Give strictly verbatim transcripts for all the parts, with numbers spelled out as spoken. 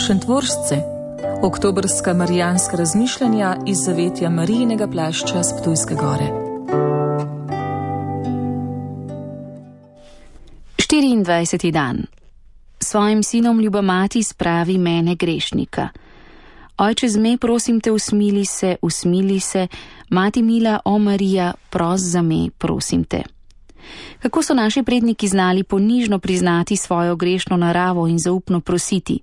Šentvoržce, oktobrska marijanska razmišljanja iz zavetja Marijinega plašča s Ptujske gore. štiriindvajseti dan. Svojim sinom ljuba mati spravi mene grešnika. Ojče zme, prosim te, usmili se, usmili se, mati mila, o Marija, pros za me, prosim te. Kako so naši predniki znali ponižno priznati svojo grešno naravo in zaupno prositi,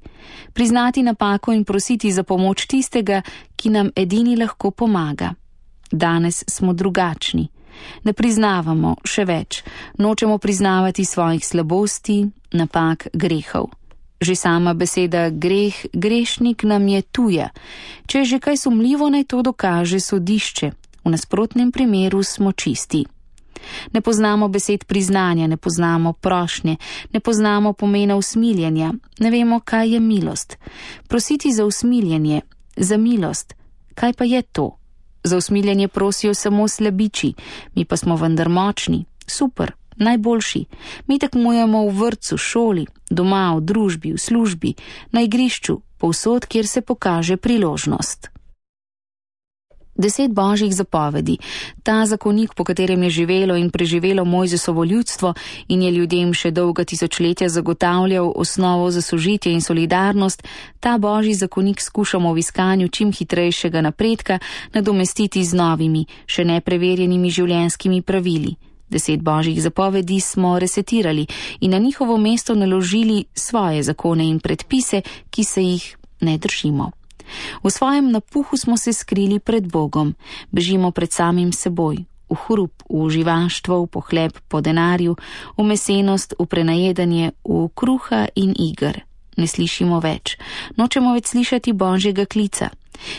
priznati napako in prositi za pomoč tistega, ki nam edini lahko pomaga. Danes smo drugačni. Ne priznavamo, še več, nočemo priznavati svojih slabosti, napak, grehov. Že sama beseda greh, grešnik nam je tuja. Če je že kaj sumljivo, naj to dokaže sodišče. V nasprotnem primeru smo čisti. Ne poznamo besed priznanja, ne poznamo prošnje, ne poznamo pomena usmiljenja, ne vemo, kaj je milost. Prositi za usmiljenje, za milost, kaj pa je to? Za usmiljenje prosijo samo slabiči, mi pa smo vendar močni, super, najboljši. Mi tekmujemo v vrtcu, šoli, doma, v družbi, v službi, na igrišču, povsod, kjer se pokaže priložnost. Deset božjih zapovedi, ta zakonik, po katerem je živelo in preživelo Mojzesovo ljudstvo in je ljudem še dolga tisočletja zagotavljal osnovo za sožitje in solidarnost, ta božji zakonik skušamo v iskanju čim hitrejšega napredka nadomestiti z novimi, še nepreverjenimi življenjskimi pravili. Deset božjih zapovedi smo resetirali in na njihovo mesto naložili svoje zakone in predpise, ki se jih ne držimo. V svojem napuhu smo se skrili pred Bogom, bežimo pred samim seboj, v hrup, v živaštvo, v pohleb po denarju, v mesenost, v prenajedanje, v kruha in iger. Ne slišimo več, nočemo več slišati božjega klica.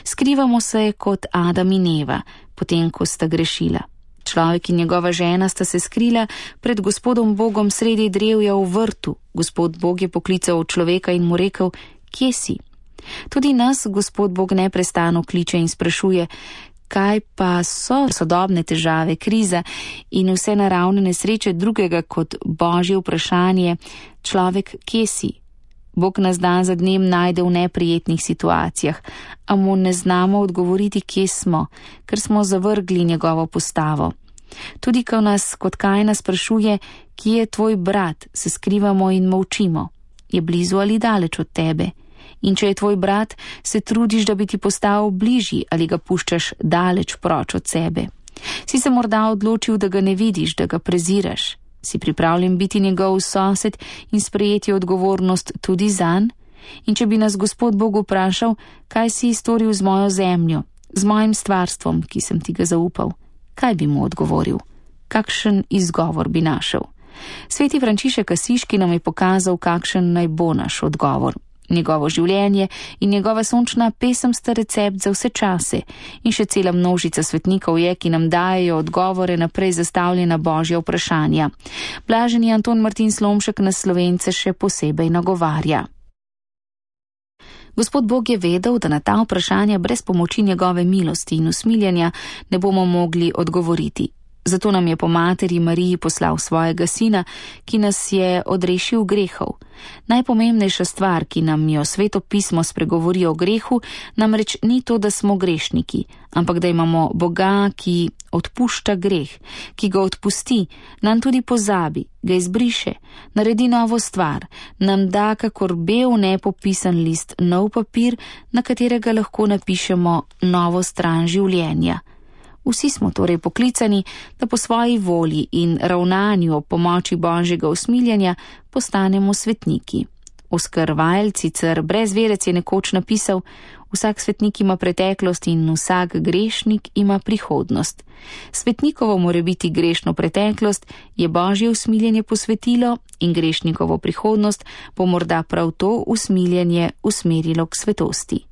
Skrivamo se kot Adam in Eva, potem ko sta grešila. Človek in njegova žena sta se skrila pred Gospodom Bogom sredi drevja v vrtu. Gospod Bog je poklical človeka in mu rekel: kje si? Tudi nas Gospod Bog neprestano kliče in sprašuje, kaj pa so sodobne težave, kriza in vse naravne nesreče drugega kot božje vprašanje: človek, kje si? Bog nas dan za dnem najde v neprijetnih situacijah, a mu ne znamo odgovoriti, kje smo, ker smo zavrgli njegovo postavo. Tudi ko nas kot Kajna sprašuje, kje je tvoj brat, se skrivamo in molčimo. Je blizu ali daleč od tebe? In če je tvoj brat, se trudiš, da bi ti postal bližji ali ga puščaš daleč proč od sebe. Si se morda odločil, da ga ne vidiš, da ga preziraš? Si pripravljen biti njegov sosed in sprejeti odgovornost tudi zanj? In če bi nas Gospod Bog vprašal, kaj si storil z mojo zemljo, z mojim stvarstvom, ki sem ti ga zaupal, kaj bi mu odgovoril? Kakšen izgovor bi našel? Sveti Frančišek Asiški nam je pokazal, kakšen naj bo naš odgovor. Njegovo življenje in njegova sončna pesem sta recept za vse čase in še cela množica svetnikov je, ki nam dajejo odgovore na prej zastavljena božja vprašanja. Blaženi Anton Martin Slomšek nas Slovence še posebej nagovarja. Gospod Bog je vedel, da na ta vprašanja brez pomoči njegove milosti in usmiljenja ne bomo mogli odgovoriti. Zato nam je po materi Mariji poslal svojega sina, ki nas je odrešil grehov. Najpomembnejša stvar, ki nam jo Sveto pismo spregovori o grehu, namreč ni to, da smo grešniki, ampak da imamo Boga, ki odpušča greh, ki ga odpusti, nam tudi pozabi, ga izbriše, naredi novo stvar, nam da kakor bel nepopisan list nov papir, na katerega lahko napišemo novo stran življenja. Vsi smo torej poklicani, da po svoji volji in ravnanju ob pomoči božjega usmiljenja postanemo svetniki. Oskar Wilde, sicer brezverec, je nekoč napisal: vsak svetnik ima preteklost in vsak grešnik ima prihodnost. Svetnikovo mora biti grešno preteklost je božje usmiljenje posvetilo in grešnikovo prihodnost bo morda prav to usmiljenje usmerilo k svetosti.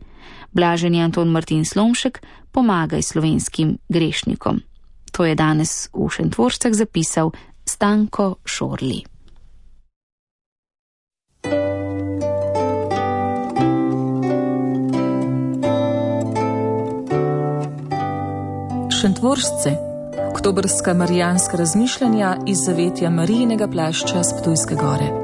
Blaženi Anton Martin Slomšek, pomagaj slovenskim grešnikom. To je danes v Šentvoržcah zapisal Stanko Šorli. Šentvoržce, oktobrska marijanska razmišljanja iz zavetja Marijinega plašča s Ptujske gore.